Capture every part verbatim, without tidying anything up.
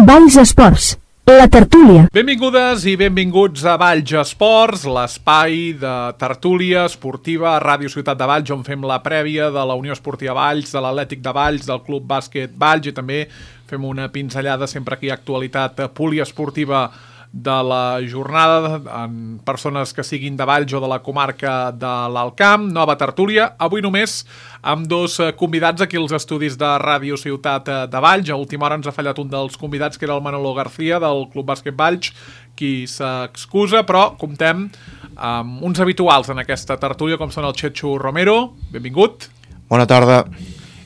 Valls Esports, la tertúlia. Benvingudes i benvinguts a Valls Esports, l'espai de tertúlia esportiva a Ràdio Ciutat de Valls, on fem la prèvia de la Unió Esportiva Valls, de l'Atlètic de Valls, del Club Bàsquet Valls, i també fem una pinzellada sempre que hi ha actualitat poliesportiva de la jornada en persones que siguin de Valls o de la comarca de l'Alt Camp. Nova tertúlia, avui només amb dos convidats aquí als estudis de Ràdio Ciutat de Valls. A última hora ens ha fallat un dels convidats, que era el Manolo García del Club Bàsquet Valls, qui s'excusa, però comptem amb uns habituals en aquesta tertúlia, com són el Chechu Romero, benvingut. Bona tarda.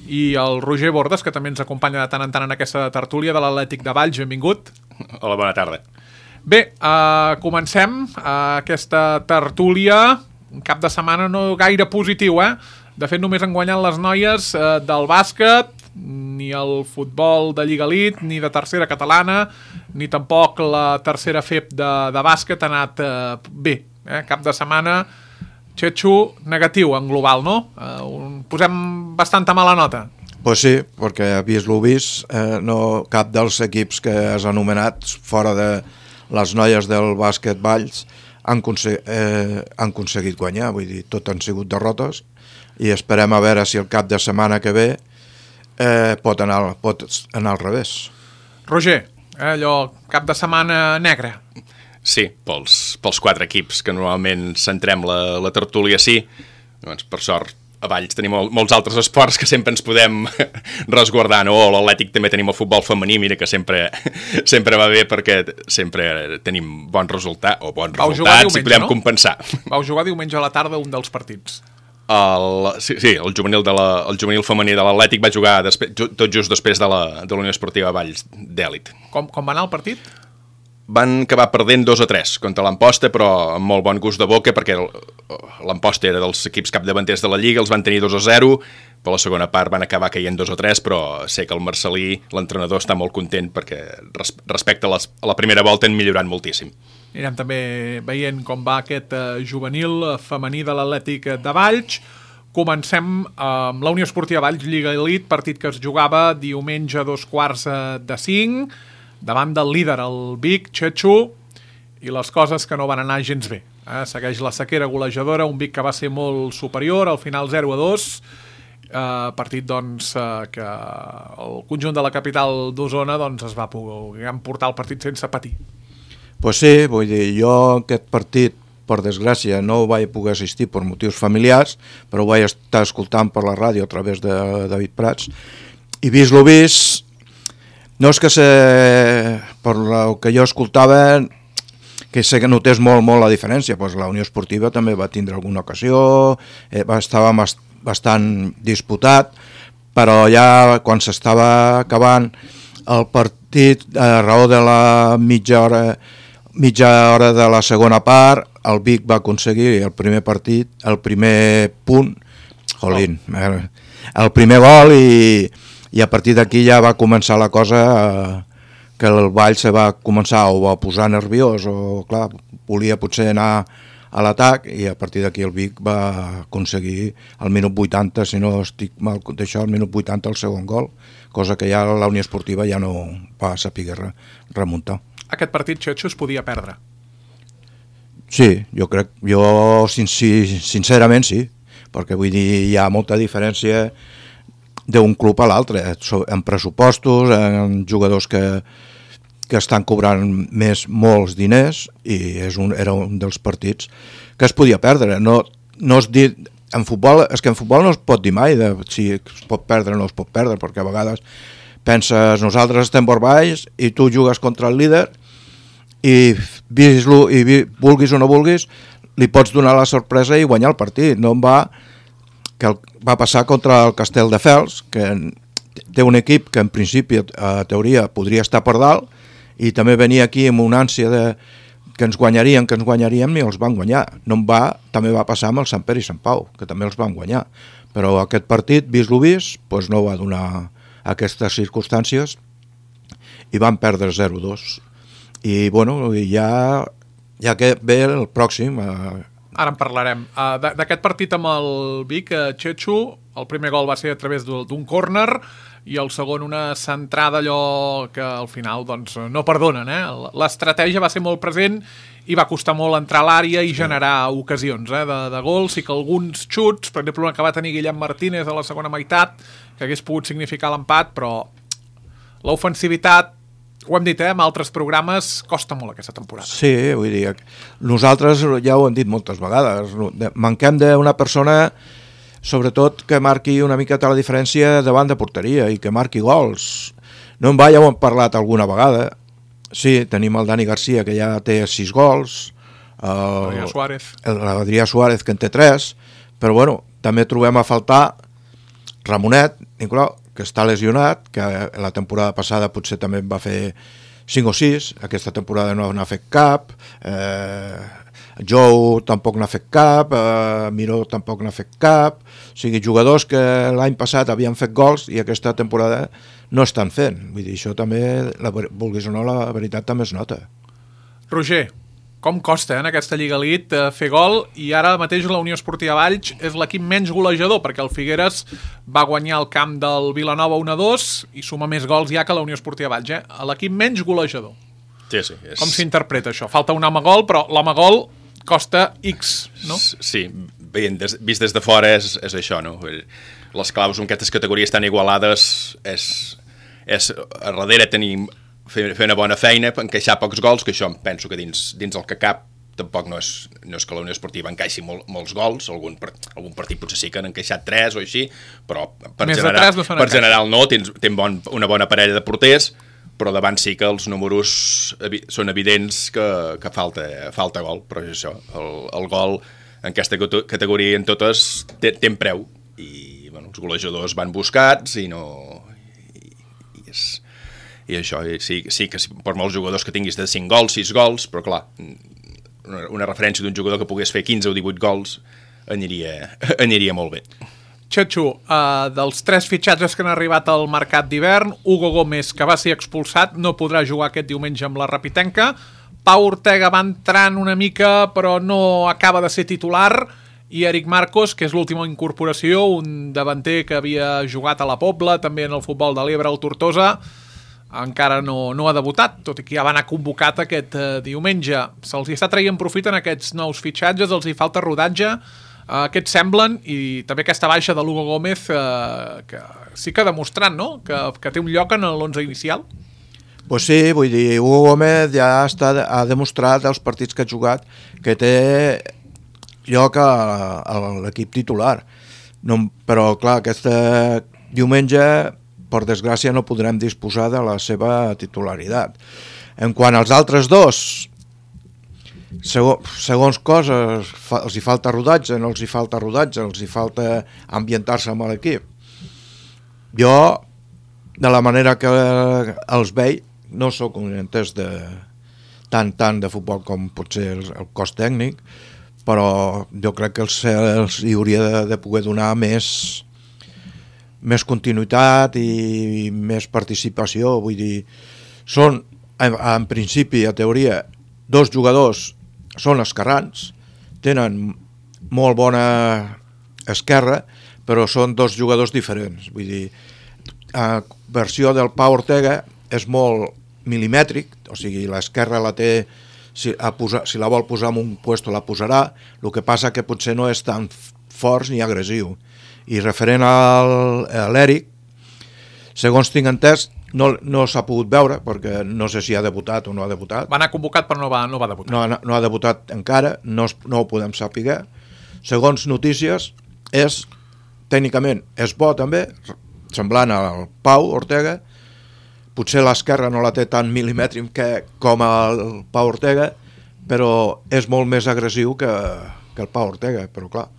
I el Roger Bordes, que també ens acompanya de tant en tant en aquesta tertúlia de l'Atlètic de Valls, benvingut. Hola, bona tarda. Bé, uh, comencem uh, aquesta tertúlia, un cap de setmana no gaire positiu, eh? De fet, només han guanyat les noies uh, del bàsquet, ni el futbol de Lliga Elite, ni de tercera catalana, ni tampoc la tercera F E P de, de bàsquet ha anat uh, bé. Eh? Cap de setmana, Chechu, negatiu en global, no? Uh, un, posem bastanta mala nota. Pues sí, perquè vist lo vist, eh, no, cap dels equips que has anomenat fora de les noies del bàsquet Valls han, consegui, eh, han aconseguit guanyar, vull dir, tot han sigut derrotes, i esperem a veure si el cap de setmana que ve eh, pot, anar, pot anar al revés. Roger, eh, allò, cap de setmana negre. Sí, pels, pels quatre equips que normalment centrem la, la tertúlia, sí. Doncs, per sort, a Valls tenim molts altres esports que sempre ens podem resguardar, no? O l'Atlètic també tenim el futbol femení, mira que sempre, sempre va bé perquè sempre tenim bon resultat, o bons Vau resultats diumenge, i podem no? compensar. Vau jugar diumenge a la tarda un dels partits. El, sí, sí, el juvenil, de la, el juvenil femení de l'Atlètic va jugar després, tot just després de la, de la Unió Esportiva Valls d'Èlit. Com, com va anar el partit? Van acabar perdent dos a tres contra l'Amposta, però amb molt bon gust de boca, perquè l'Amposta era dels equips capdavanters de la Lliga, els van tenir dos a zero, però la segona part van acabar caient dos a tres, però sé que el Marcelí, l'entrenador, està molt content perquè respecte a, les, a la primera volta han millorat moltíssim. Anirem també veient com va aquest uh, juvenil femení de l'Atlètic de Valls. Comencem amb uh, la Unió Esportiva Valls, Lliga Elite, partit que es jugava diumenge a dos quarts de cinc, davant del líder, el Vic, Chechu, i les coses que no van anar gens bé. Eh? Segueix la sequera golejadora, un Vic que va ser molt superior, al final zero a dos, eh, partit doncs, eh, que el conjunt de la capital d'Osona doncs, es va poder emportar el partit sense patir. Pues sí, vull dir, jo aquest partit, per desgràcia, no ho vaig poder assistir per motius familiars, però ho vaig estar escoltant per la ràdio a través de David Prats, i vist lo vist, no és que se, per el que jo escoltava, que sé que notés molt, molt la diferència, doncs la Unió Esportiva també va tindre alguna ocasió, eh, estava bastant disputat, però ja quan s'estava acabant el partit, a raó de la mitja hora, mitja hora de la segona part, el Vic va aconseguir el primer partit, el primer punt, jolín, el primer gol, i i a partir d'aquí ja va començar la cosa eh, que el Vall se va començar o a posar nerviós o clar, volia potser anar a l'atac, i a partir d'aquí el Vic va aconseguir al minut vuitanta, si no estic mal d'això, al minut vuitanta el segon gol, cosa que ja la Unió Esportiva ja no va saber remuntar. Aquest partit, Chechu, es podia perdre? Sí, jo crec, jo sincerament sí, perquè vull dir, hi ha molta diferència d'un club a l'altre, en pressupostos, en jugadors que, que estan cobrant més molts diners, i és un, era un dels partits que es podia perdre. No, no es dir, en futbol, és que en futbol no es pot dir mai de si es pot perdre o no es pot perdre, perquè a vegades penses, nosaltres estem per baix i tu jugues contra el líder i, vis-lo, i vi, vulguis o no vulguis, li pots donar la sorpresa i guanyar el partit. No en va que el, va passar contra el Castelldefels, que té un equip que en principi, a teoria, podria estar per dalt, i també venia aquí amb una ànsia de que ens guanyarien, que ens guanyaríem, i els van guanyar. No en va, també va passar amb el Sant Pere i Sant Pau, que també els van guanyar. Però aquest partit, vist lo vist, doncs no va donar aquestes circumstàncies, i van perdre zero a dos. I, bueno, ja, ja que ve el pròxim... Eh, Ara en parlarem. Uh, D'aquest partit amb el Vic, uh, Chechu, El primer gol va ser a través d'un córner i el segon una centrada allò que al final doncs, no perdonen. Eh? L'estratègia va ser molt present i va costar molt entrar a l'àrea i generar ocasions eh, de, de gols i que alguns xuts, per exemple, que va tenir Guillem Martínez a la segona meitat, que hagués pogut significar l'empat, però l'ofensivitat, ho hem dit, eh, en altres programes, costa molt aquesta temporada. Sí, vull dir, nosaltres ja ho hem dit moltes vegades, manquem d'una persona, sobretot que marqui una miqueta la diferència davant de porteria i que marqui gols. No en va, ja ho hem parlat alguna vegada. Sí, tenim el Dani Garcia, que ja té sis gols, Adrià Suárez. l'Adrià Suárez, que en té tres, però bueno, també trobem a faltar Ramonet, Nicolau, que està lesionat, que la temporada passada potser també en va fer cinc o sis, aquesta temporada no n'ha fet cap, eh, Jou tampoc n'ha fet cap, eh, Miró tampoc n'ha fet cap, o sigui, jugadors que l'any passat havien fet gols i aquesta temporada no estan fent. Vull dir, això també, la, vulguis o no, la veritat també es nota. Roger, com costa eh, en aquesta Lliga Elite eh, fer gol, i ara mateix la Unió Esportiva Valls és l'equip menys golejador, perquè el Figueres va guanyar el camp del Vilanova un a dos i suma més gols ja que la Unió Esportiva Valls. Eh? L'equip menys golejador. Sí, sí. És... Com s'interpreta això? Falta un home gol, però l'home gol costa X, no? Sí, veient des, vist des de fora és, és això, no? Les claus en aquestes categories tan igualades és, és a darrere tenir, fer, fer una bona feina, encaixar pocs gols, que això penso que dins, dins el que cap tampoc no és, no és que la Unió Esportiva encaixi molt, molts gols, algun, algun partit potser sí que han encaixat tres o així, però per, Més general, no per general no, tens, tens bon, una bona parella de porters, però davant sí que els números evi són evidents que, que falta, falta gol, però és això, el, el gol en aquesta categoria en totes té, té preu, i bueno, els golejadors van buscats i no... I, i, és, i això, i sí, sí que per molts jugadors que tinguis de cinc gols, sis gols, però clar, una, una referència d'un jugador que pogués fer quinze o divuit gols aniria, aniria molt bé. Xatxo, uh, dels tres fitxatges que han arribat al mercat d'hivern, Hugo Gómez, que va ser expulsat, no podrà jugar aquest diumenge amb la Rapitenca. Pau Ortega va entrant una mica, però no acaba de ser titular. I Eric Marcos, que és l'última incorporació, un davanter que havia jugat a la Pobla, també en el futbol de l'Ebre, al Tortosa, encara no, no ha debutat, tot i que ja va anar convocat aquest uh, diumenge. Se'ls hi està traient profit en aquests nous fitxatges, els hi falta rodatge. Uh, aquests semblen, i també aquesta baixa de l'Hugo Gómez, uh, que sí que ha demostrat, no?, que, que té un lloc en l'onze inicial. Pues sí, vull dir, Hugo Gómez ja està, ha demostrat als partits que ha jugat que té lloc a, a l'equip titular. No, però, clar, aquest diumenge, per desgràcia, no podrem disposar de la seva titularitat. En quant als altres dos, Segons, segons coses, fa, els hi falta rodatge, no els hi falta rodatge, els hi falta ambientar-se amb l'equip. Jo, de la manera que els veig, no sóc un entès de tant, tant de futbol com potser el, el cos tècnic, però jo crec que els, els hi hauria de, de poder donar més, més continuïtat i més participació. Vull dir, són, en, en principi, a teoria, dos jugadors són esquerrans, tenen molt bona esquerra, però són dos jugadors diferents. Vull dir, la versió del Pau Ortega és molt milimètric, o sigui, l'esquerra la té, si, a posar, si la vol posar en un puesto la posarà, el que passa que potser no és tan fort ni agressiu. I referent al, a l'Eric, segons tinc entès, No, no s'ha pogut veure, perquè no sé si ha debutat o no ha debutat. Va anar convocat, però no va, no va debutar. No, no ha debutat encara, no, no ho podem saber. Segons notícies, és, tècnicament, és bo també, semblant al Pau Ortega. Potser l'esquerra no la té tan milimètric que, com el Pau Ortega, però és molt més agressiu que, que el Pau Ortega, però clar,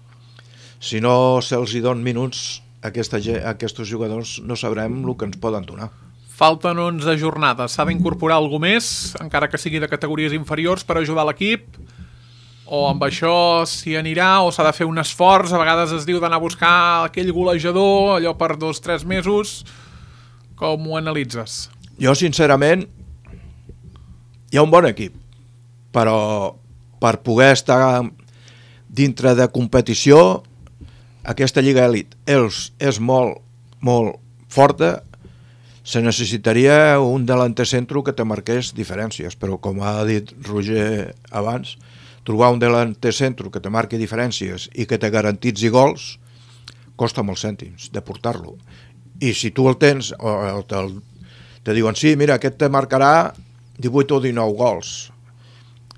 si no se'ls hi donen minuts, aquesta, aquests jugadors no sabrem el que ens poden donar. Falten onze jornades. S'ha d'incorporar algú més, encara que sigui de categories inferiors, per ajudar l'equip? O amb això s'hi anirà, o s'ha de fer un esforç? A vegades es diu d'anar a buscar aquell golejador, allò per dos o tres mesos. Com ho analitzes? Jo, sincerament, hi ha un bon equip, però per poder estar dintre de competició aquesta Lliga Elit és, és molt, molt forta, se necessitaria un delanter centro que te marqués diferències, però com ha dit Roger abans, trobar un delanter centro que te marqui diferències i que te garantitzi gols costa molts cèntims de portar-lo. I si tu el tens, o te, te diuen, sí, mira, aquest te marcarà divuit o dinou gols,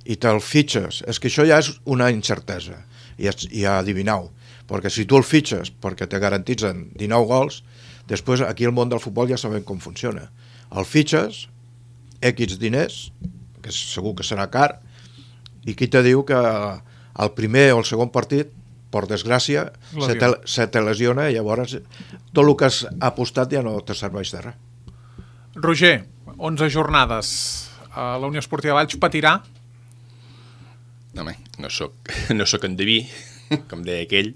i te'l fitxes, és que això ja és una incertesa, i, i adivinau, perquè si tu el fitxes perquè te garantitzen dinou gols, després aquí al món del futbol ja sabem com funciona. El fitxes, X diners, que segur que serà car, i qui te diu que el primer o el segon partit, per desgràcia, se te, se te lesiona i llavors tot el que has apostat ja no te serveix de res. Roger, onze jornades. Uh, la Unió Esportiva Valls patirà? Home, no soc, no soc endeví, com deia aquell.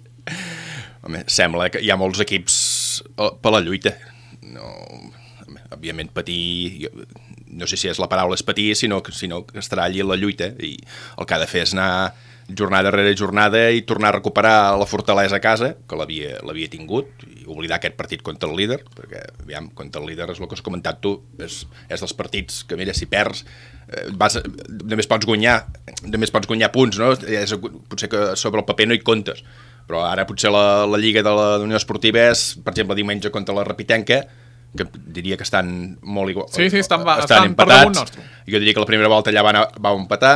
Home, sembla que hi ha molts equips per la lluita. No, home, òbviament patir, no sé si és la paraula és patir, sinó que, sinó que estarà allí en la lluita, i el que ha de fer és anar jornada rere jornada i tornar a recuperar la fortalesa a casa, que l'havia l'havia tingut, i oblidar aquest partit contra el líder, perquè, aviam, contra el líder és el que has comentat tu, és, és dels partits que, mira, si perds, eh, vas, només pots guanyar, només pots guanyar punts, no? És, potser que sobre el paper no hi comptes, però ara potser la, la Lliga de la Unió Esportiva és, per exemple, diumenge contra la Repitenca, que diria que estan molt igual. Sí, sí, estan, estan, estan empatats. per damunt nostre. Jo diria que la primera volta allà va, va empatar,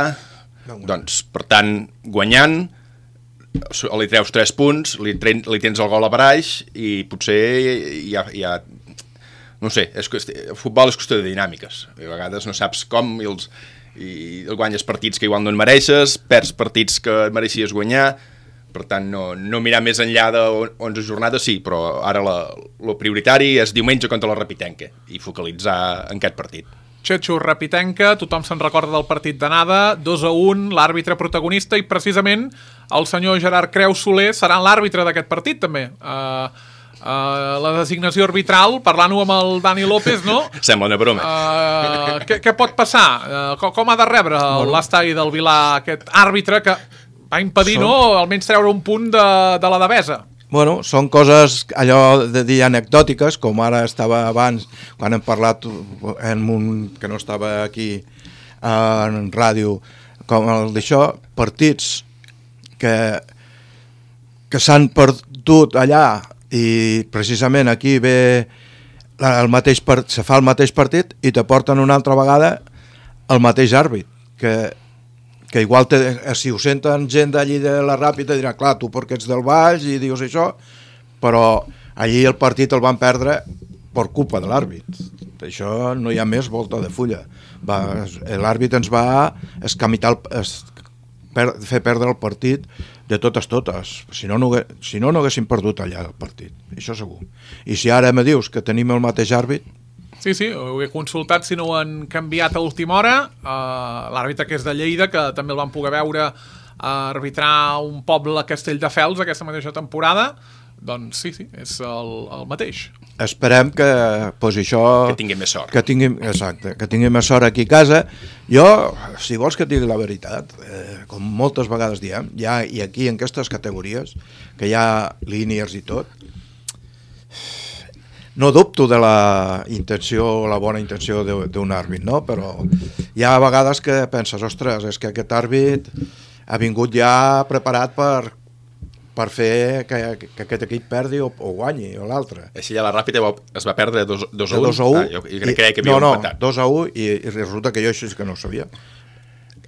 no, doncs, per tant, guanyant, li treus tres punts, li, tren, li tens el gol a baraix i potser hi ha, hi ha no sé, és, el futbol és qüestió de dinàmiques. A vegades no saps com i, els, i guanyes partits que igual no en mereixes, perds partits que mereixies guanyar. Per tant, no, no mirar més enllà d'onze jornades, sí, però ara el prioritari és diumenge contra la Repitenca i focalitzar en aquest partit. Xetxo, Repitenca, tothom se'n recorda del partit d'anada, dos a un, l'àrbitre protagonista, i precisament el senyor Gerard Creus Soler serà l'àrbitre d'aquest partit, també. Uh, uh, la designació arbitral, parlant-ho amb el Dani López, no? Sembla una broma. Uh, què, què pot passar? Uh, com, com ha de rebre bueno. l'estadi del Vilà aquest àrbitre que va impedir, són... no?, almenys treure un punt de, de la Devesa. Bueno, són coses allò de dir anecdòtiques, com ara estava abans, quan hem parlat en un, que no estava aquí en ràdio, com el d'això, partits que, que s'han perdut allà i precisament aquí ve el mateix part, se fa el mateix partit i te porten una altra vegada el mateix àrbit, que que igual te, si ho senten gent d'allí de la Ràpita dirà, clar, tu perquè ets del Valls i dius això, però allí el partit el van perdre per culpa de l'àrbit. Això no hi ha més volta de fulla. L'àrbit ens va escamitar, es, per, fer perdre el partit de totes totes. Si no, no, si no, no haguéssim perdut allà el partit, això segur. I si ara me dius que tenim el mateix àrbit, sí, sí, ho he consultat si no ho han canviat a última hora. Uh, l'àrbitre que és de Lleida, que també el van poder veure uh, arbitrar un poble a Castelldefels aquesta mateixa temporada, doncs sí, sí, és el, el mateix. Esperem que pues, això... Que tinguin més sort. Que tinguin, exacte, que tinguin més sort aquí a casa. Jo, si vols que et digui la veritat, eh, com moltes vegades diem, ja, i aquí en aquestes categories, que hi ha línies i tot, no dubto de la intenció, la bona intenció d'un àrbit, no? Però hi ha vegades que penses, ostres, és que aquest àrbit ha vingut ja preparat per, per fer que, que aquest equip perdi o, o guanyi, o l'altre. Així ja la Ràpida es va perdre dos a un? dos a u. Ah, jo crec que havia no, empatat. No, dos a u i, i resulta que jo això sí que no ho sabia.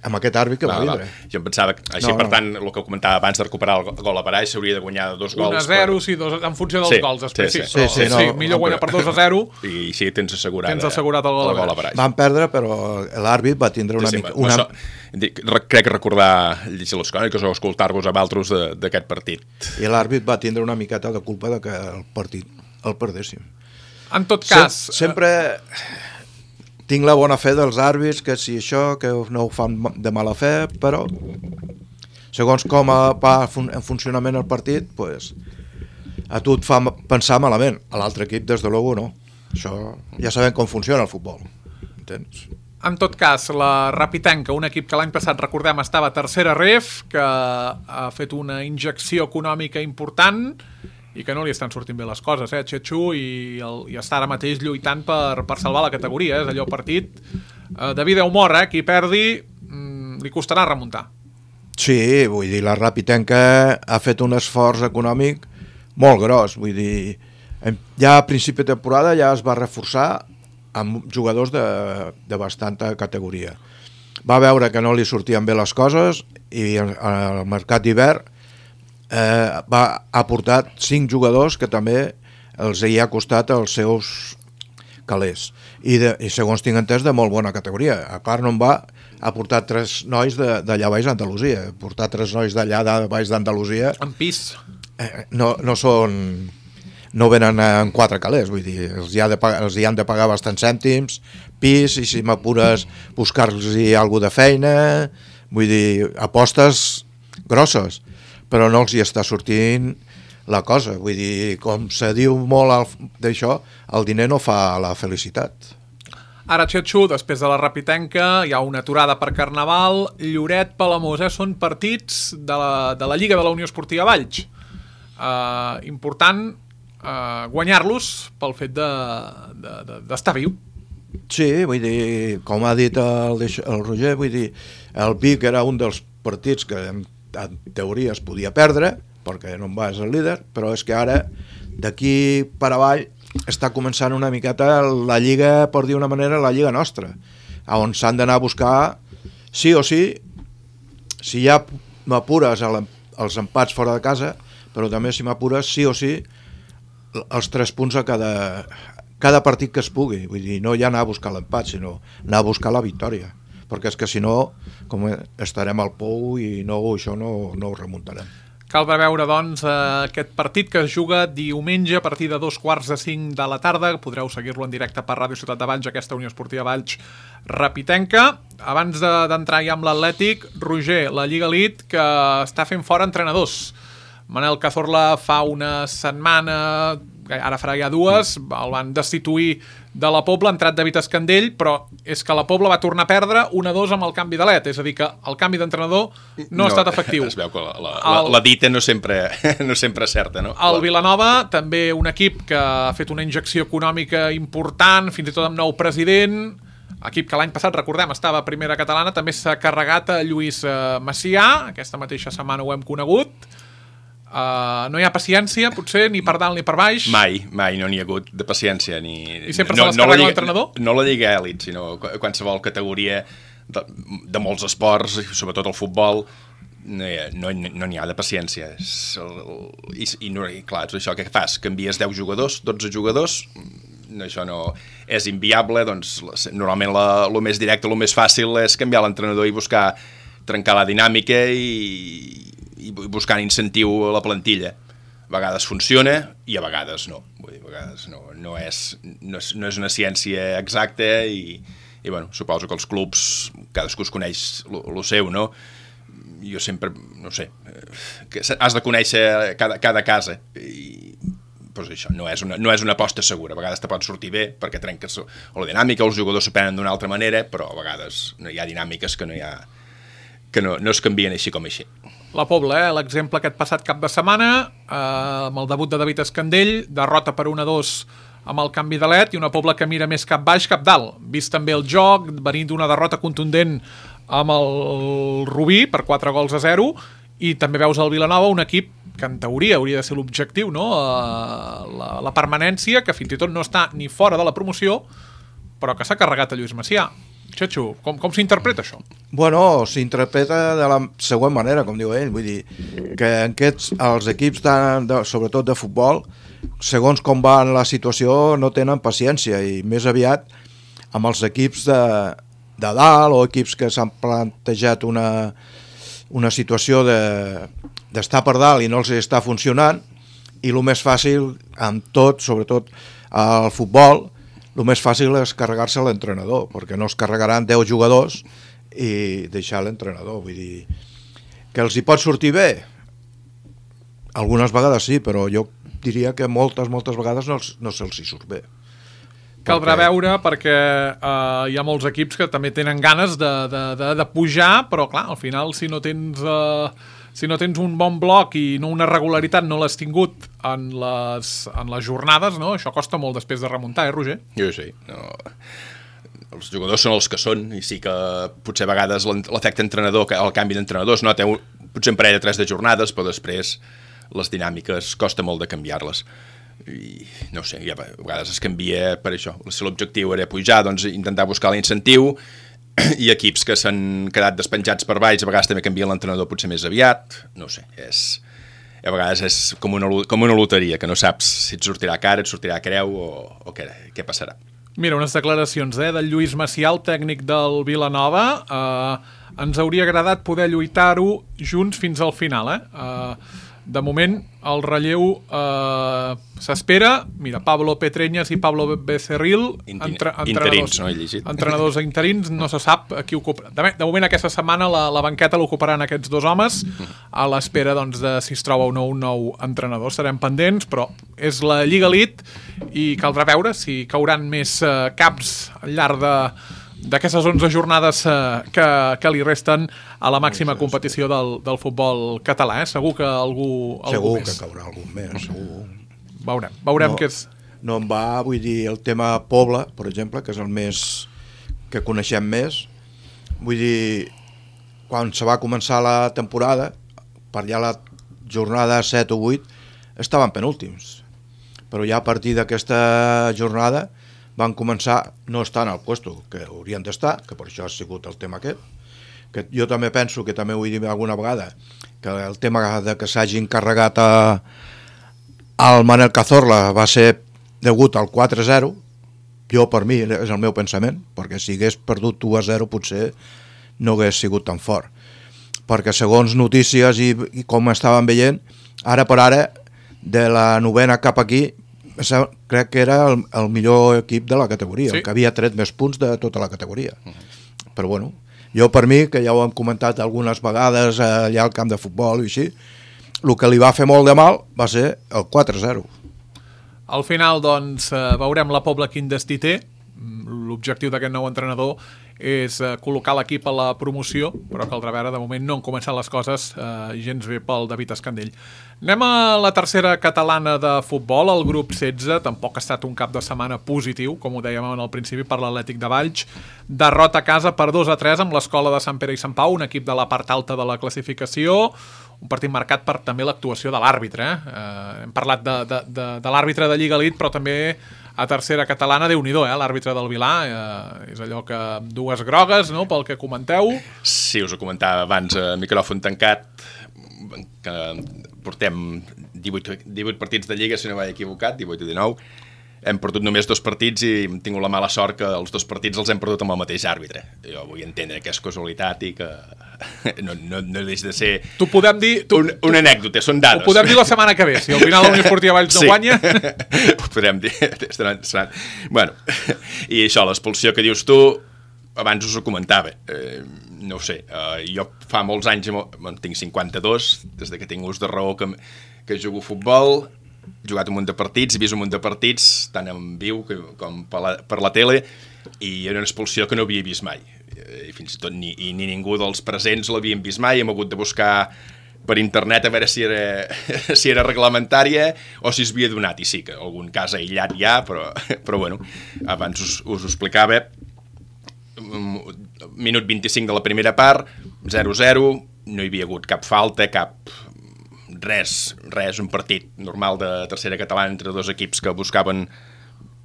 Amb aquest àrbit que va, va vindre. Va. Jo em pensava que, així, no, per no. tant, el que comentava abans de recuperar el gol a baraix, s'hauria de guanyar dos gols. un a zero, per... sí, dos, en funció dels sí, gols, després, sí. sí, sí, sí, sí, no, sí millor guanyar per dos a zero. I així tens assegurat, tens assegurat el gol, el gol a baraix. Van perdre, però l'àrbit va tindre una sí, sí, mica... Una... Una... Crec que recordar, llegir les cròniques o escoltar-vos amb altres d'aquest partit. I l'àrbit va tindre una miqueta de culpa de que el partit el perdéssim. En tot cas... Sem sempre... Tinc la bona fe dels àrbits, que si això, que no ho fan de mala fe, però segons com va en funcionament el partit, pues, a tu et fa pensar malament. A l'altre equip, des de logo, no. Això ja sabem com funciona el futbol. Entens? En tot cas, la Rapitenca, un equip que l'any passat, recordem, estava a tercera ref, que ha fet una injecció econòmica important i que no li estan sortint bé les coses, eh, Txetxu, i, el, i està ara mateix lluitant per, per salvar la categoria, eh? És allò partit eh, de vida o mort, eh? Qui perdi mm, li costarà remuntar. Sí, vull dir, la Rapitenca ha fet un esforç econòmic molt gros, vull dir, ja a principi de temporada ja es va reforçar amb jugadors de, de bastanta categoria. Va veure que no li sortien bé les coses i al mercat d'hivern eh, va aportar cinc jugadors que també els hi ha costat els seus calés. I, de, i segons tinc entès, de molt bona categoria. A part no en va aportar tres nois d'allà baix d'Andalusia. Portar tres nois d'allà baix d'Andalusia... En pis. Eh, no, no són... no venen en quatre calés, vull dir, els hi, ha de pagar, els hi han de pagar bastants cèntims, pis, i si m'apures buscar-los-hi alguna de feina, vull dir, apostes grosses, però no els hi està sortint la cosa, vull dir, com se diu molt d'això, el diner no fa la felicitat. Ara, Txetxu, després de la Rapitenca, hi ha una aturada per Carnaval, Lloret, Palamós, eh? Són partits de la, de la Lliga de la Unió Esportiva Valls. Uh, important Uh, guanyar-los pel fet d'estar de, de, de, viu. Sí, vull dir, com ha dit el, el Roger, vull dir, el Vic era un dels partits que en, en teoria es podia perdre, perquè no en va ser el líder, però és que ara d'aquí per avall està començant una miqueta la lliga, per dir una manera, la lliga nostra, on s'han d'anar a buscar sí o sí, si ja m'apures els empats fora de casa, però també si m'apures sí o sí els tres punts a cada, cada partit que es pugui, vull dir, no ja anar a buscar l'empat, sinó anar a buscar la victòria, perquè és que si no com estarem al pou i no, això no, no ho remuntarem. Cal veure, doncs, aquest partit que es juga diumenge a partir de dos quarts de cinc de la tarda. Podreu seguir-lo en directe per Ràdio Ciutat de Valls, aquesta Unió Esportiva Valls Rapitenca. Abans d'entrar ja amb l'Atlètic, Roger, la Lliga Elite, que està fent fora entrenadors. Manel Cazorla fa una setmana, ara farà ja dues, el van destituir de la Pobla, ha entrat David Escandell, però és que la Pobla va tornar a perdre un a dos amb el canvi de l'E T, és a dir, que el canvi d'entrenador no, no ha estat efectiu. Es veu que la, la, la, la dita no sempre, no sempre és certa, no? El Vilanova, també un equip que ha fet una injecció econòmica important, fins i tot amb nou president, equip que l'any passat, recordem, estava a primera catalana, també s'ha carregat a Lluís Macià, aquesta mateixa setmana ho hem conegut. Uh, no hi ha paciència, potser, ni per dalt ni per baix. Mai, mai no n'hi ha hagut de paciència. Ni... I sempre no, se les carrega no l'entrenador? No la Lliga Elit, sinó qualsevol categoria de, de molts esports, sobretot el futbol, no hi ha, no, no n'hi ha de paciència. I, i, no, i clar, és això que fas, canvies deu jugadors, dotze jugadors, no, això no és inviable, doncs normalment el més directe, el més fàcil és canviar l'entrenador i buscar trencar la dinàmica i i buscant incentiu a la plantilla. A vegades funciona i a vegades no. Vull dir, a vegades no, no, és, no, és, no és una ciència exacta i, i bueno, suposo que els clubs, cadascú es coneix el seu, no? Jo sempre, no sé, que has de conèixer cada, cada casa i pues això, no és, una, no és una aposta segura. A vegades te pot sortir bé perquè trenques la dinàmica, els jugadors s'aprenen d'una altra manera, però a vegades no hi ha dinàmiques que no hi ha que no, no es canvien així com així. La Pobla, eh? L'exemple aquest passat cap de setmana, eh, amb el debut de David Escandell, derrota per un a dos amb el canvi de l'E T i una Pobla que mira més cap baix, cap dalt. Vist també el joc, venint d'una derrota contundent amb el Rubí per quatre gols a zero, i també veus el Vilanova, un equip que en teoria hauria de ser l'objectiu, no? Eh, la, la permanència, que fins i tot no està ni fora de la promoció, però que s'ha carregat a Lluís Macià. Txetxu, com, com s'interpreta això? Bueno, s'interpreta de la següent manera, com diu ell, vull dir que aquests, els equips, de, de, sobretot de futbol, segons com va la situació, no tenen paciència i més aviat amb els equips de, de dalt o equips que s'han plantejat una, una situació d'estar de, per dalt i no els està funcionant, i el més fàcil amb tot, sobretot al futbol, el més fàcil és carregar-se l'entrenador, perquè no es carregaran deu jugadors i deixar l'entrenador. Vull dir que els hi pot sortir bé? Algunes vegades sí, però jo diria que moltes, moltes vegades no, no se'ls hi surt bé. Caldrà perquè... veure perquè uh, hi ha molts equips que també tenen ganes de, de, de, de pujar, però clar, al final si no tens uh, si no tens un bon bloc i no una regularitat no l'has tingut en les, en les jornades, no? Això costa molt després de remuntar, eh, Roger? Jo sí, no... Els jugadors són els que són i sí que potser a vegades l'efecte entrenador, el canvi d'entrenadors, no? Té un, potser un parell de tres de jornades, però després les dinàmiques costa molt de canviar-les. I no sé, ja, a vegades es canvia per això. Si l'objectiu era pujar, doncs intentar buscar l'incentiu, i equips que s'han quedat despenjats per baix, a vegades també canvien l'entrenador potser més aviat, no sé, és... a vegades és com una, com una loteria, que no saps si et sortirà cara, et sortirà creu o, o què, què passarà. Mira, unes declaracions eh, del Lluís Macià, el tècnic del Vilanova. Eh, ens hauria agradat poder lluitar-ho junts fins al final. Eh? Eh, de moment, el relleu eh, s'espera. Mira, Pablo Petreñas i Pablo Becerril, entre, interins, no he llegit. Entrenadors interins, no se sap a qui ocupa. De, de moment, aquesta setmana, la, la banqueta l'ocuparan aquests dos homes, a l'espera doncs, de si es troba o no un nou entrenador. Serem pendents, però és la Lliga Elite i caldrà veure si cauran més eh, caps al llarg de d'aquestes onze jornades eh, que, que li resten a la màxima competició del, del futbol català. Eh? Segur que algú, algú segur més. que caurà algú més, segur. Veurem, veurem no, què és. No em va, vull dir, el tema Pobla, per exemple, que és el més que coneixem més. Vull dir, quan se va començar la temporada, per allà la jornada set o vuit, estaven penúltims. Però ja a partir d'aquesta jornada van començar no estar en el puesto que haurien d'estar, que per això ha sigut el tema aquest, que jo també penso que també ho he dit alguna vegada, que el tema de que s'hagin carregat a, al Manel Cazorla va ser degut al quatre a zero, jo per mi és el meu pensament, perquè si hagués perdut u a zero potser no hagués sigut tan fort, perquè segons notícies i, i com estaven veient, ara per ara de la novena cap aquí crec que era el, el millor equip de la categoria, sí. El que havia tret més punts de tota la categoria. Uh-huh. Però bueno, jo per mi, que ja ho hem comentat algunes vegades allà al camp de futbol i així, el que li va fer molt de mal va ser el quatre a zero. Al final, doncs, veurem la Pobla quin destí té. L'objectiu d'aquest nou entrenador és eh, col·locar l'equip a la promoció, però caldrà veure, de moment no han començat les coses eh, gens bé pel David Escandell. Anem a la tercera catalana de futbol, el grup setze, tampoc ha estat un cap de setmana positiu, com ho dèiem al principi per l'Atlètic de Valls, derrota a casa per dos a tres amb l'Escola de Sant Pere i Sant Pau, un equip de la part alta de la classificació, un partit marcat per també l'actuació de l'àrbitre. Eh? Eh, hem parlat de, de, de, de l'àrbitre de Lliga Elite, però també a tercera catalana, Déu-n'hi-do, eh? L'àrbitre del Vilà, eh, és allò que dues grogues, no?, pel que comenteu. Sí, us ho comentava abans, a micròfon tancat, que portem divuit, divuit partits de Lliga, si no vaig equivocat, divuit i dinou, hem perdut només dos partits i hem tingut la mala sort que els dos partits els hem perdut amb el mateix àrbitre. Jo vull entendre que és casualitat i que no, no, no deix de ser tu podem dir, tu, un, una anècdota, són dades. Ho podem dir la setmana que ve, si al final la Unió Esportiva Valls no sí. guanya. Ho podem dir. Estaran, estaran. Bueno, i això, l'expulsió que dius tu, abans us ho comentava, eh, no ho sé, eh, jo fa molts anys, bueno, tinc cinquanta-dos, des de que tinc ús de raó que, que jugo a futbol, he jugat un munt de partits, he vist un munt de partits, tant en viu que, com per la, per la tele, i era una expulsió que no havia vist mai. I fins i tot ni, i ni ningú dels presents l'havien vist mai, hem hagut de buscar per internet a veure si era, si era reglamentària o si es havia donat, i sí que algun cas aïllat hi ha, però, però bueno, abans us, us ho explicava, minut vint-i-cinc de la primera part, zero a zero, no hi havia hagut cap falta, cap... res, res, un partit normal de tercera catalana entre dos equips que buscaven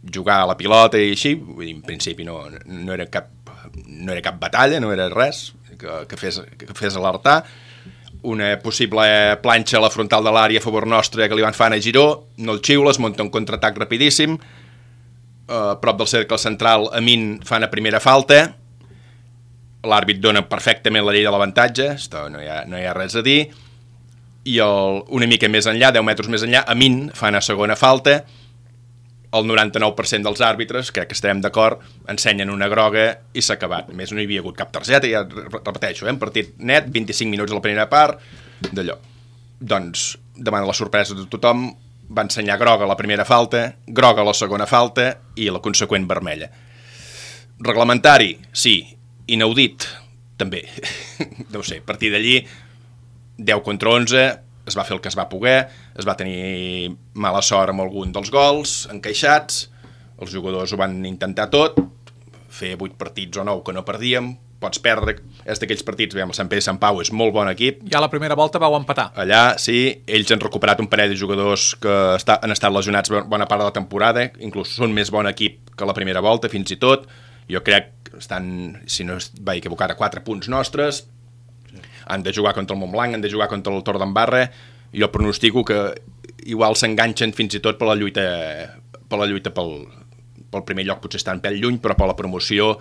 jugar a la pilota i així, vull dir, en principi no, no, era, cap, no era cap batalla, no era res que, que, fes, que fes alertar. Una possible planxa a la frontal de l'àrea a favor nostra que li van fan a Giró, no el xiula, es munta un contraatac rapidíssim, a prop del cercle central Amin fan a primera falta, l'àrbit dona perfectament la llei de l'avantatge, no, hi ha, no hi ha res a dir, i el, una mica més enllà, deu metres més enllà, Amin fan a segona falta, el noranta-nou per cent dels àrbitres, crec que estarem d'acord, ensenyen una groga i s'ha acabat. A més, no hi havia hagut cap targeta, ja repeteixo, eh? Un partit net, vint-i-cinc minuts a la primera part, d'allò. Doncs, davant de la sorpresa de tothom, va ensenyar groga la primera falta, groga la segona falta i la conseqüent vermella. Reglamentari, sí. Inaudit, també. No ho sé, a partir d'allí, deu contra onze, es va fer el que es va poder, es va tenir mala sort amb algun dels gols, encaixats, els jugadors ho van intentar tot, fer vuit partits o nou que no perdíem, pots perdre, és d'aquells partits, veiem, el Sant Pere i Sant Pau és molt bon equip. Ja a la primera volta vau empatar. Allà, sí, ells han recuperat un parell de jugadors que està, han estat lesionats bona part de la temporada, inclús són més bon equip que la primera volta, fins i tot. Jo crec que estan, si no es va equivocar, a quatre punts nostres, han de jugar contra el Montblanc, han de jugar contra el Torredembarra, jo pronostico que igual s'enganxen fins i tot per la lluita, per la lluita pel, pel primer lloc, potser estan pèl lluny, però per la promoció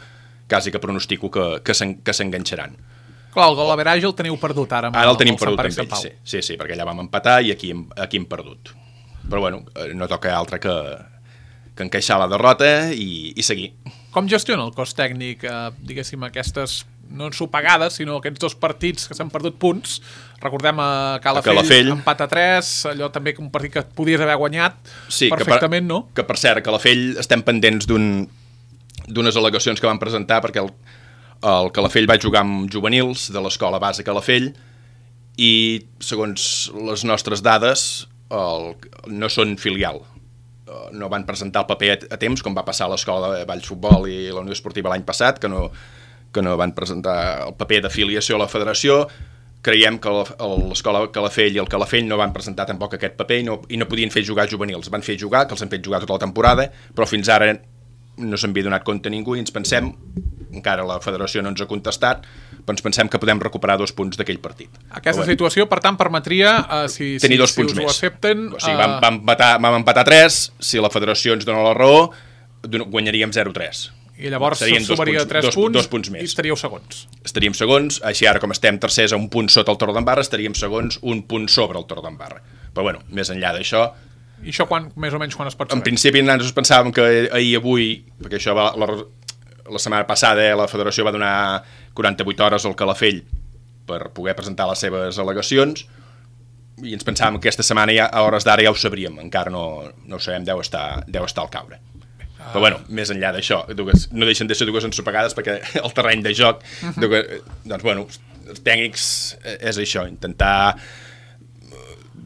quasi que pronostico que, que s'enganxaran. Clar, el gol average el teniu perdut ara. Ara el tenim perdut amb ells, sí, sí, sí, perquè allà vam empatar i aquí, aquí hem perdut. Però bueno, no toca altre que, que encaixar la derrota i, i seguir. Com gestiona el cos tècnic, eh, diguéssim, aquestes, no ensopegades, sinó aquests dos partits que s'han perdut punts? Recordem a Calafell, a Calafell. Empat a tres, allò també un partit que podies haver guanyat sí, perfectament, que per, no? Que per cert, a Calafell estem pendents d'un d'unes al·legacions que van presentar perquè el, el Calafell va jugar amb juvenils de l'escola base Calafell i segons les nostres dades el, no són filial, no van presentar el paper a, a temps com va passar a l'escola de Valls Futbol i la Unió Esportiva l'any passat, que no, que no van presentar el paper d'afiliació a la federació. Creiem que l'escola Calafell i el Calafell no van presentar tampoc aquest paper i no, i no podien fer jugar juvenils, van fer jugar, que els han fet jugar tota la temporada, però fins ara no se'n havia donat compte ningú i ens pensem, encara la federació no ens ha contestat, però ens pensem que podem recuperar dos punts d'aquell partit. Aquesta bueno, situació, per tant, permetria, uh, si, tenir si, dos si punts us més. Ho accepten... O sigui, vam, vam, empatar, vam empatar tres, si la federació ens dona la raó, guanyaríem zero tres. I llavors sumaria tres punts, punts, dos punts més. I estaríeu segons. Estaríem segons, així ara com estem tercers a un punt sota el Torredembarra, estaríem segons un punt sobre el Torredembarra. Però bueno, més enllà d'això... I això quan, més o menys quan es pot saber? En principi nosaltres pensàvem que ahir avui, perquè això va, la, la setmana passada la federació va donar quaranta-vuit hores al Calafell per poder presentar les seves al·legacions i ens pensàvem que aquesta setmana ja, a hores d'ara ja ho sabríem, encara no, no ho sabem, deu estar, deu estar al caure. Ah. Però bueno, més enllà d'això, no deixen de ser dues ensopegades perquè el terreny de joc, uh-huh. dues, doncs bueno, els tècnics és això, intentar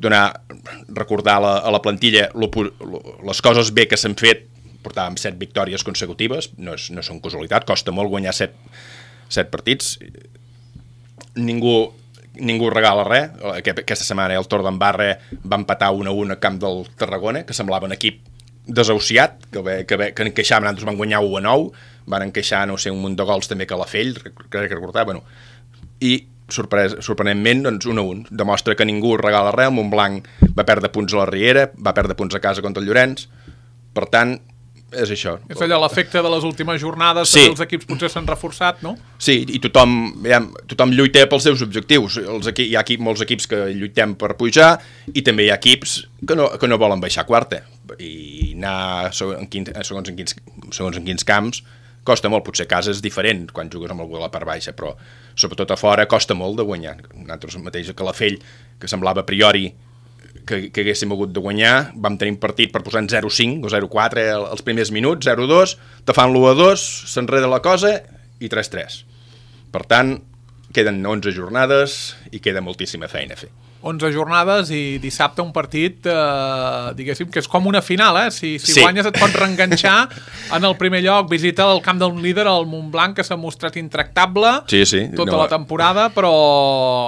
donar, recordar la, a la plantilla lo, lo, les coses bé que s'han fet. Portàvem set victòries consecutives, no, és, no són casualitat, costa molt guanyar set, set partits. Ningú, ningú regala res. Aquesta setmana el Torredembarra va empatar un a un a camp del Tarragona, que semblava un equip desahuciat, que, que, que encaixaven, nosaltres van guanyar u a nou, van encaixar, no sé, un munt de gols també que a la Fell, crec que recordar, bueno, i sorpres, sorprenentment, doncs, un a un. Demostra que ningú regala res, el Montblanc va perdre punts a la Riera, va perdre punts a casa contra el Llorenç, per tant, és això. És allò, l'efecte de les últimes jornades, sí. Els equips potser s'han reforçat, no? Sí, i tothom, ja, tothom lluita pels seus objectius. Els equi, hi ha equip, molts equips que lluitem per pujar i també hi ha equips que no, que no volen baixar quarta. I anar segons en quins, segons en quins, segons en quins camps costa molt, potser a casa és diferent quan jugues amb algú a la part baixa, però sobretot a fora costa molt de guanyar. Nosaltres mateix a Calafell, que semblava a priori que, que haguéssim hagut de guanyar, vam tenir un partit per posar en zero cinc o zero quatre els primers minuts, zero dos, te fan l'u a dos, s'enreda la cosa i tres tres. Per tant, queden onze jornades i queda moltíssima feina a fer. onze jornades i dissabte un partit, eh, diguéssim, que és com una final, eh? Si, si sí. guanyes et pots reenganxar en el primer lloc, visita el camp del líder, el Montblanc, que s'ha mostrat intractable sí, sí. tota no. la temporada, però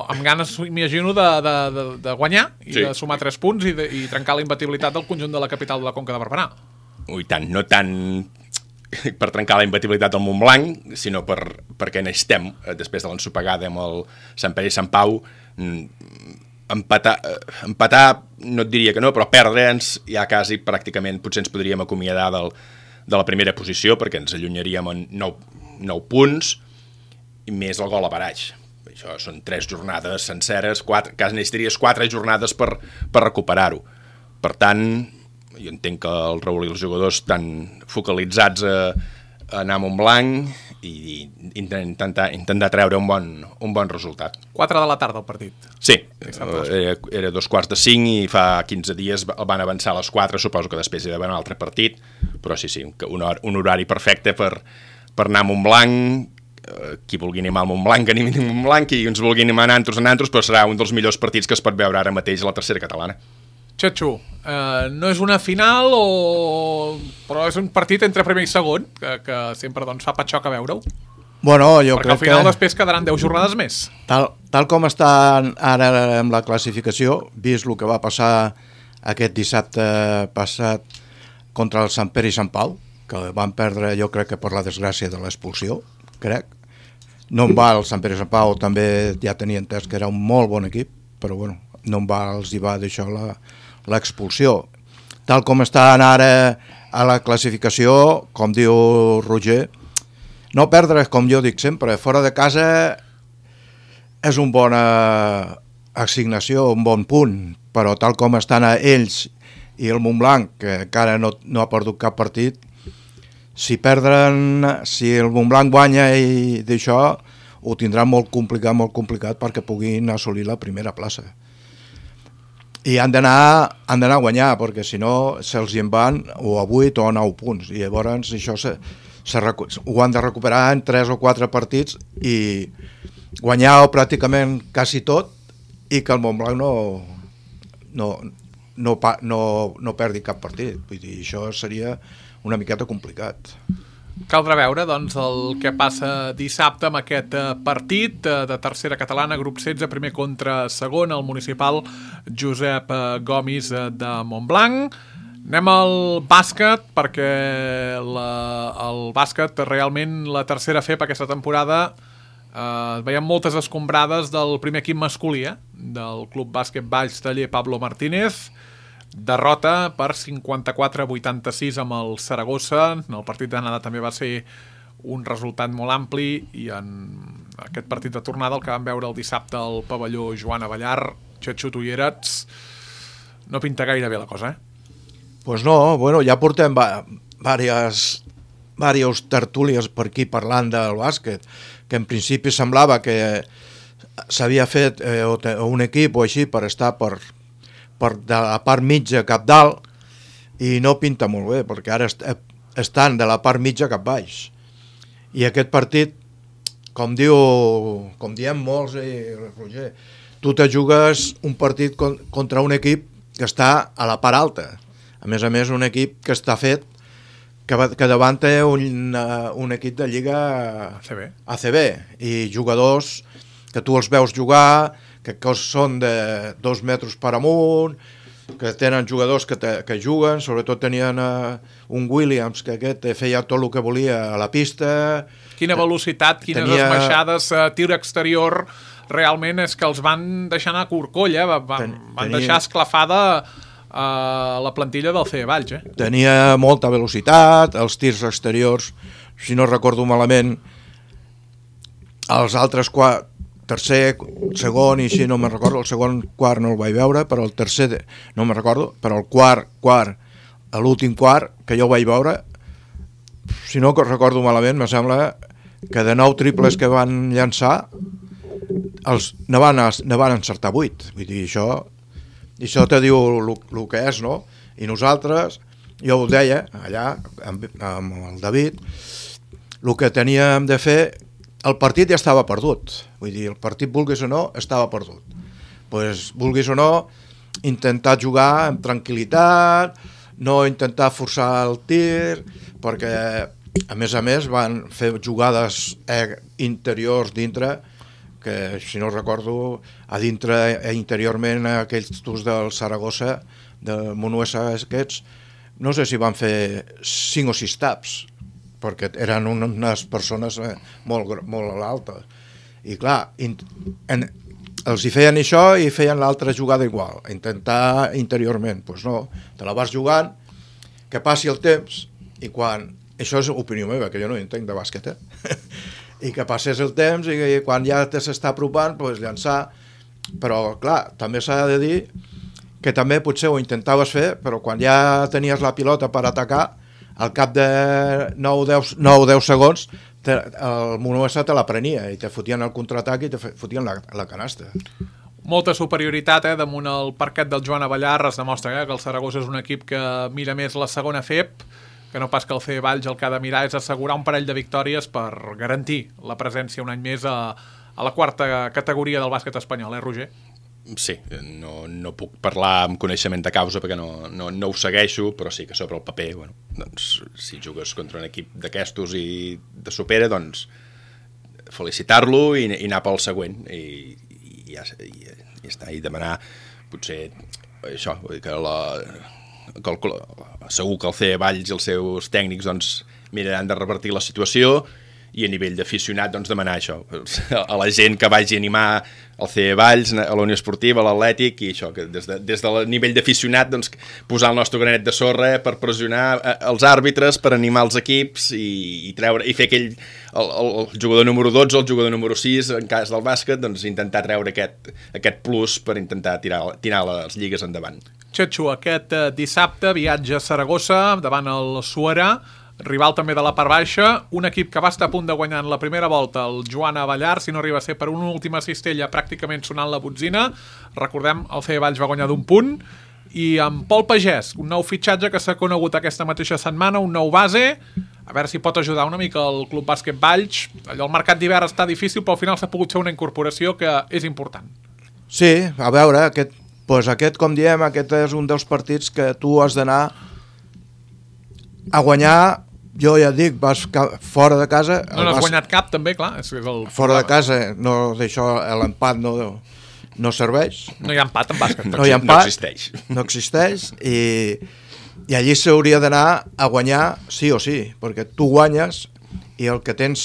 amb ganes, m'imagino, de, de, de, de guanyar i sí. de sumar tres punts i, de, i trencar la imbatibilitat del conjunt de la capital de la Conca de Barberà. Ui, tant, no tant per trencar la imbatibilitat del Montblanc, sinó per, perquè necessitem, després de l'ensopegada amb el Sant Pere i Sant Pau, empatar, empatar no et diria que no, però perdre'ns ja quasi pràcticament potser ens podríem acomiadar del, de la primera posició perquè ens allunyaríem en nou, nou punts i més el gol a baraix. Això són tres jornades senceres, quatre, quasi necessitaries quatre jornades per, per recuperar-ho. Per tant, jo entenc que el Raül i els jugadors estan focalitzats a, anar a Montblanc i intentar, intentar treure un bon, un bon resultat. quatre de la tarda el partit. Sí, era, era dos quarts de cinc i fa quinze dies el van avançar a les quatre, suposo que després hi ha d'haver un altre partit, però sí, sí, un, un horari perfecte per, per anar a Montblanc, qui vulgui animar al Montblanc, que animin al Montblanc, qui ens vulgui animar a Nantos, a Nantos, però serà un dels millors partits que es pot veure ara mateix a la tercera catalana. Xatxu, eh, no és una final, o... però és un partit entre primer i segon, que, que sempre doncs, fa patxoc a veure-ho. Bueno, jo Perquè crec al final que... després quedaran deu jornades més. Tal, tal com està ara amb la classificació, vist el que va passar aquest dissabte passat contra el Sant Pere i Sant Pau, que van perdre, jo crec que per la desgràcia de l'expulsió, crec. No en va el Sant Pere i Sant Pau, també ja tenia entès que era un molt bon equip, però bueno, no en va, els hi va deixar la... l'expulsió. Tal com estan ara a la classificació, com diu Roger, no perdre, com jo dic sempre, fora de casa és una bona assignació, un bon punt, però tal com estan ells i el Montblanc, que encara no, no ha perdut cap partit, si perdren, si el Montblanc guanya i d'això, ho tindran molt complicat, molt complicat perquè puguin assolir la primera plaça. I han d'anar han d'anar a guanyar, perquè si no se'ls hi en van o a vuit o a nou punts, i llavors això se, se, ho han de recuperar en tres o quatre partits i guanyar pràcticament quasi tot, i que el Montblanc no, no, no, no, no perdi cap partit. Vull dir, això seria una miqueta complicat. Caldrà veure doncs, el que passa dissabte amb aquest partit de tercera catalana, grup setze, primer contra segon, el municipal Josep Gomis de Montblanc. Anem al bàsquet, perquè la, el bàsquet realment la tercera F E P aquesta temporada eh, veiem moltes escombrades del primer equip masculí, eh? Del Club Bàsquet Valls Taller Pablo Martínez. Derrota per cinquanta-quatre a vuitanta-sis amb el Saragossa. El partit d'anada també va ser un resultat molt ampli, i en aquest partit de tornada, el que vam veure el dissabte al pavelló Joan Avellar, Xatxu, tu hi eres, no pinta gaire bé la cosa, eh? Pues no, bueno, ja portem va, diverses, diverses tertúlies per aquí parlant del bàsquet, que en principi semblava que s'havia fet eh, un equip o així per estar per per de la part mitja cap dalt, i no pinta molt bé, perquè ara est estan de la part mitja cap baix. I aquest partit, com diu, com diem molts, eh, Roger, tu te jugues un partit con contra un equip que està a la part alta. A més a més, un equip que està fet, que, va, que davant té un, uh, un equip de lliga A C B. A C B, i jugadors que tu els veus jugar, que són de dos metres per amunt, que tenen jugadors que, te, que juguen, sobretot tenien uh, un Williams, que aquest feia tot el que volia a la pista. Quina velocitat, quines tenia... esmaixades, uh, tir exterior, realment és que els van deixar anar a corcolla, eh? van, Ten, van tenia... deixar esclafada uh, la plantilla del C E Valls. Eh? Tenia molta velocitat, els tirs exteriors, si no recordo malament, els altres quatre, tercer, segon i així no me'n recordo, el segon quart no el vaig veure, però el tercer no me'n recordo, però el quart, quart, l'últim quart que jo vaig veure, si no recordo malament, me sembla que de nou triples que van llançar els ne van, ne van encertar vuit. Vull dir, això, això te diu el que és, no? I nosaltres, jo ho deia allà amb, amb el David, el que teníem de fer, el partit ja estava perdut, vull dir, el partit, vulguis o no, estava perdut. Pues, vulguis o no, intentar jugar amb tranquil·litat, no intentar forçar el tir, perquè, a més a més, van fer jugades eh, interiors dintre, que, si no recordo, a dintre, eh, interiorment, aquells turs del Saragossa, del Monuesa aquests, no sé si van fer cinc o sis taps, perquè eren unes persones molt, molt altes. I clar, in, en, els hi feien això i feien l'altra jugada igual, intentar interiorment. Doncs pues no, te la vas jugant, que passi el temps, i quan... Això és opinió meva, que jo no entenc de bàsquet, eh? I que passés el temps i quan ja te s'està apropant, doncs llançar. Però clar, també s'ha de dir que també potser ho intentaves fer, però quan ja tenies la pilota per atacar, al cap de nou o deu segons te, el Monuesa te la prenia i te fotien el contraatac i te fotien la, la canasta. Molta superioritat eh, damunt el parquet del Joan Abellar. Es demostra eh, que el Saragossa és un equip que mira més la segona F E P, que no pas que el C E Valls el que ha de mirar és assegurar un parell de victòries per garantir la presència un any més a, a la quarta categoria del bàsquet espanyol, eh, Roger? Sí, no, no puc parlar amb coneixement de causa perquè no, no, no ho segueixo, però sí que sobre el paper, bueno, doncs, si jugues contra un equip d'aquestos i te supera, doncs felicitar-lo i, i anar pel següent i, i, ja, i, i està, i demanar potser això, que la, que el, segur que el C E Valls i els seus tècnics doncs, miraran de revertir la situació i a nivell d'aficionat doncs, demanar això a la gent que vagi a animar el C E Valls, a la Unió Esportiva, a l'Atlètic i això, que des, de, des del nivell d'aficionat doncs, posar el nostre granet de sorra per pressionar els àrbitres, per animar els equips i, i, treure, i fer aquell el, el, el jugador número dotze o el jugador número sis en cas del bàsquet, doncs intentar treure aquest, aquest plus per intentar tirar, tirar les lligues endavant. Xetxo, aquest eh, dissabte viatge a Saragossa davant el Suera, rival també de la part baixa, un equip que va estar a punt de guanyar en la primera volta, el Joan Abellar, si no arriba a ser per una última cistella pràcticament sonant la botzina. Recordem, el C E Valls va guanyar d'un punt, i amb Pol Pagès, un nou fitxatge que s'ha conegut aquesta mateixa setmana, un nou base, a veure si pot ajudar una mica el Club Bàsquet Valls. Allò, el mercat d'hivern està difícil, però al final s'ha pogut fer una incorporació que és important. Sí, a veure, aquest, doncs aquest, com diem, aquest és un dels partits que tu has d'anar a guanyar. Jo ja et dic, vas fora de casa... No n'has guanyat cap, també, clar. És, és el... Fora de casa, no, d'això, l'empat no, no serveix. No hi ha empat en bàsquet. No hi ha empat, no existeix. No existeix, i, i allí s'hauria d'anar a guanyar sí o sí, perquè tu guanyes i el que tens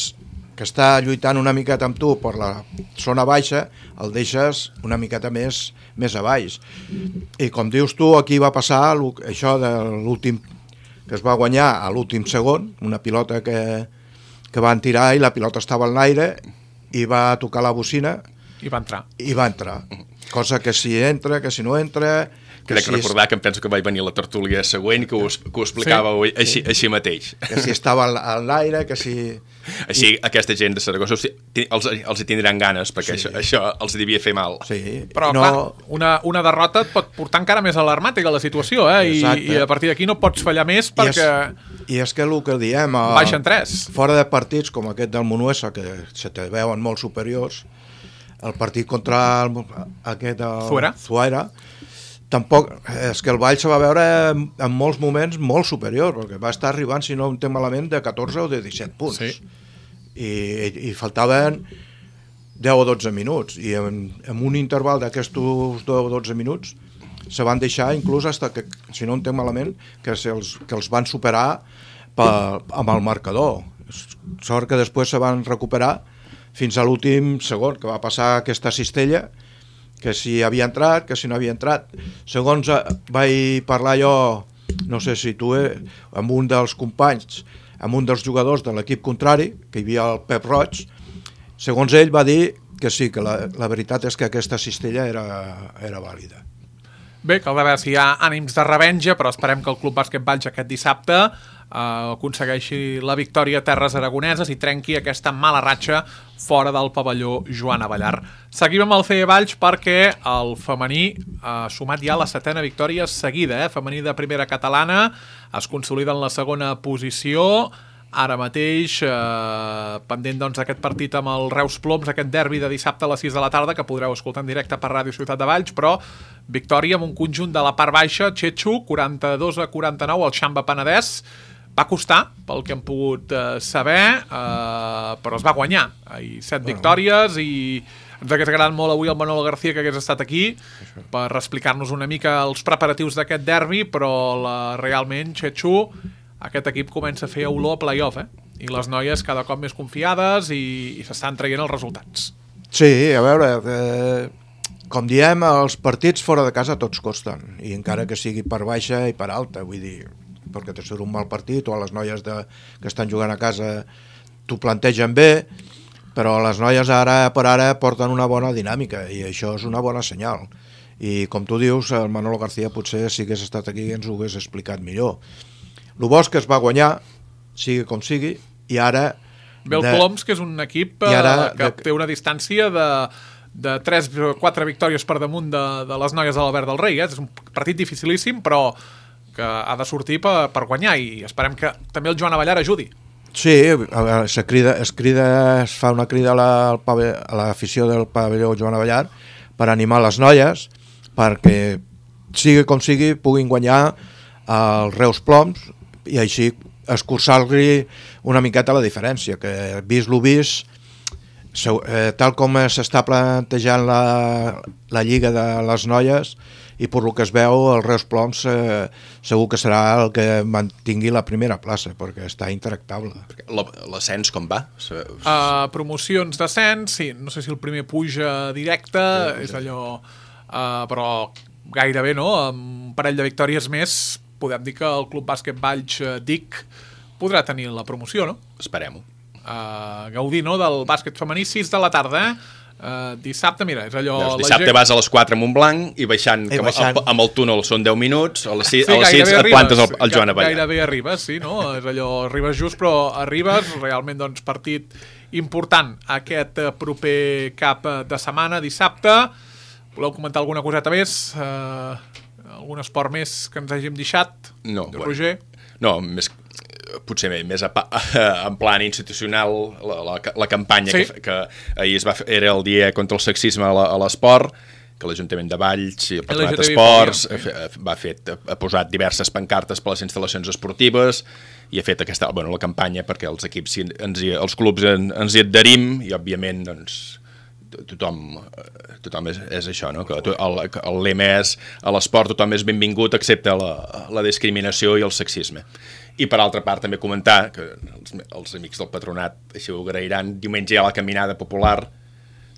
que està lluitant una miqueta amb tu per la zona baixa, el deixes una miqueta més, més a baix. I com dius tu, aquí va passar això de l'últim que es va guanyar a l'últim segon, una pilota que, que van tirar i la pilota estava en l'aire i va tocar la bocina i va entrar. I va entrar. Cosa que si entra, que si no entra... Que Crec si recordar que em penso que vaig venir a la tertúlia següent que ho, que ho explicàveu sí. així, així mateix. Que si estava en l'aire, que si... Així aquesta gent de Saragossa els, els hi tindran ganes, perquè sí. això, això els devia fer mal. Sí. Però no... clar, una, una derrota et pot portar encara més alarmàtica la situació, eh? I, i a partir d'aquí no pots fallar més perquè... I és, i és que el que diem... A, baixen tres. Fora de partits com aquest del Monuesa, que se te veuen molt superiors, el partit contra el, aquest... El, Zuera. Zuera, tampoc, és que el Valls se va veure en, en molts moments molt superior, perquè va estar arribant, si no em entenc malament, de catorze o de disset punts. Sí. I, i, i faltaven deu o dotze minuts, i en, en un interval d'aquests deu o dotze minuts se van deixar inclús hasta que, si no entenc malament, que, els, que els van superar per, amb el marcador. Sort que després se van recuperar fins a l'últim segon, que va passar aquesta cistella, que si havia entrat, que si no havia entrat. Segons vaig parlar jo, no sé si tu, eh, amb un dels companys, amb un dels jugadors de l'equip contrari, que hi havia el Pep Roig, segons ell va dir que sí, que la, la veritat és que aquesta cistella era, era vàlida. Bé, caldrà veure si hi ha ànims de revenja, però esperem que el Club Bàsquet Valls aquest dissabte eh, aconsegueixi la victòria a terres aragoneses i trenqui aquesta mala ratxa fora del pavelló Joan Abellar. Seguim amb el C E Valls perquè el femení ha sumat ja la setena victòria seguida, eh? Femení de primera catalana, es consolida en la segona posició, ara mateix eh, pendent doncs aquest partit amb el Reus Ploms, aquest derbi de dissabte a les sis de la tarda que podreu escoltar en directe per Ràdio Ciutat de Valls, però victòria amb un conjunt de la part baixa, Xetxo, quaranta-dos a quaranta-nou, el Xamba Penedès. Va costar, pel que hem pogut eh, saber, eh, però es va guanyar. I set victòries i ens hagués agradat molt avui el Manolo García que hagués estat aquí per explicar-nos una mica els preparatius d'aquest derbi, però la, realment, Xetxo, aquest equip comença a fer olor a play-off, eh? I les noies cada cop més confiades i, i s'estan traient els resultats. Sí, a veure, eh, com diem, els partits fora de casa tots costen, i encara que sigui per baixa i per alta, vull dir, perquè te surt un mal partit o les noies de, que estan jugant a casa t'ho plantegen bé, però les noies ara per ara porten una bona dinàmica i això és una bona senyal. I com tu dius, el Manolo García potser si hagués estat aquí ens ho hagués explicat millor. El bo és que es va guanyar, sigui com sigui, i ara... Ve el Ploms, que és un equip ara, que de... té una distància de, de tres o quatre victòries per damunt de, de les noies de l'Albert del Rei. Eh? És un partit dificilíssim, però que ha de sortir per, per guanyar, i esperem que també el Joan Avellar ajudi. Sí, es crida, es, crida, es fa una crida a l'afició la, del pavelló Joan Avellar per animar les noies, perquè sigui com sigui puguin guanyar els Reus Ploms i així escurçar-li una miqueta la diferència, que vist lo vist, tal com s'està plantejant la, la lliga de les noies, i per lo que es veu, el Reus Ploms eh, segur que serà el que mantingui la primera plaça, perquè està intractable. L'ascens com va? Uh, promocions d'ascens, sí, no sé si el primer puja directe, sí, és allò... Uh, però gairebé, no? Amb un parell de victòries més, podem dir que el Club Bàsquet Valls D I C podrà tenir la promoció, no? Esperem-ho. Uh, gaudir, no?, del bàsquet femení, sis de la tarda, eh? Uh, dissabte, mira, és allò... Veus, dissabte gent... vas a les quatre a Montblanc i baixant, I baixant... Amb, amb el túnel són deu minuts, a les sis, sí, a les sis et plantes al, al Joan Avellar. Gairebé arribes, sí, no? És allò, arribes just, però arribes, realment, doncs, partit important aquest proper cap de setmana, dissabte. Voleu comentar alguna coseta més? Uh, algun esport més que ens hàgim deixat? No, Roger? Bueno, no, més... potser més a, en plan institucional la, la, la campanya sí. que, que ahir es va fer, era el dia contra el sexisme a l'esport, que l'Ajuntament de Valls i el Patronat d'Esports sí. va fer, ha posat diverses pancartes per les instal·lacions esportives i ha fet aquesta, bueno, la campanya perquè els equips, ens hi, els clubs en, ens hi adherim i òbviament doncs tothom, tothom és, és això, no? Que el, el lema és a l'esport tothom és benvingut excepte la, la discriminació i el sexisme. I per altra part també comentar que els, els amics del Patronat així ho agrairan, diumenge hi ha la caminada popular,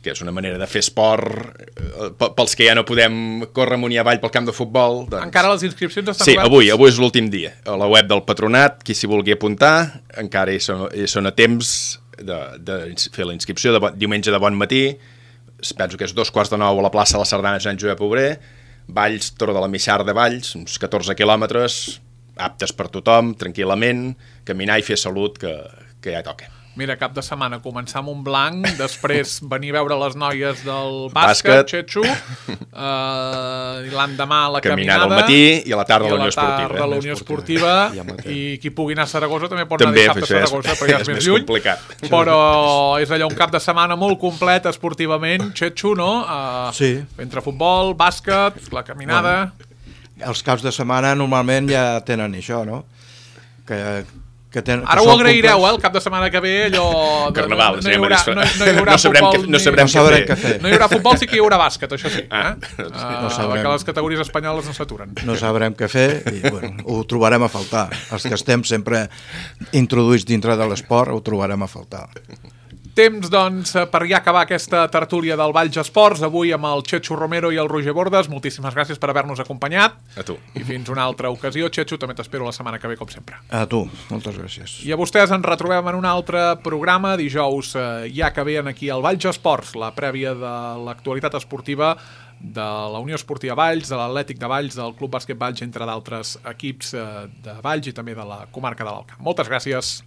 que és una manera de fer esport eh, pels que ja no podem córrer amunt i avall pel camp de futbol. Doncs... Encara les inscripcions estan sí, obertes? Sí, avui, avui és l'últim dia. A la web del Patronat, qui s'hi vulgui apuntar, encara hi són, hi són a temps de, de fer la inscripció, de bon, diumenge de bon matí, penso que és dos quarts de nou a la plaça de la Sardana Sant Josep Obrer, Valls, Torre de la Mixar de Valls, uns catorze quilòmetres, aptes per tothom, tranquil·lament, caminar i fer salut, que, que ja toca. Mira, cap de setmana començar amb un blanc, després venir a veure les noies del bàsquet, Xetxo, uh, i l'endemà la caminada, caminada al matí i a la tarda a la Unió Esportiva. I a la tarda a la Unió Esportiva, i qui pugui anar a Saragossa també pot també, anar dissabte a Saragossa, però ja és, és més lluny. Complicat. Però és allò un cap de setmana molt complet esportivament, Xetxo, no? Uh, sí. Entre futbol, bàsquet, la caminada... Bueno, els caps de setmana normalment ja tenen això, no? Que... Que ten, Ara que ho agraireu, eh, el cap de setmana que ve, allò... Carnaval, no, no, hi haurà, no, no hi haurà no sabrem futbol, que, no sabrem ni... no què fer. No hi haurà futbol, sí que hi haurà bàsquet, això sí. Ah, eh? no sabrem. Que les categories espanyoles no s'aturen. No sabrem què fer i bueno, ho trobarem a faltar. Els que estem sempre introduïts dintre de l'esport ho trobarem a faltar. Temps, doncs, per ja acabar aquesta tertúlia del Valls Esports, avui amb el Xetxo Romero i el Roger Bordes. Moltíssimes gràcies per haver-nos acompanyat. A tu. I fins una altra ocasió. Xetxo, també t'espero la setmana que ve, com sempre. A tu, moltes gràcies. I a vostès ens retrobem en un altre programa dijous, eh, ja que ve aquí al Valls Esports, la prèvia de l'actualitat esportiva de la Unió Esportiva Valls, de l'Atlètic de Valls, del Club Bàsquet Valls, entre d'altres equips eh, de Valls i també de la comarca de l'Alt Camp. Moltes gràcies.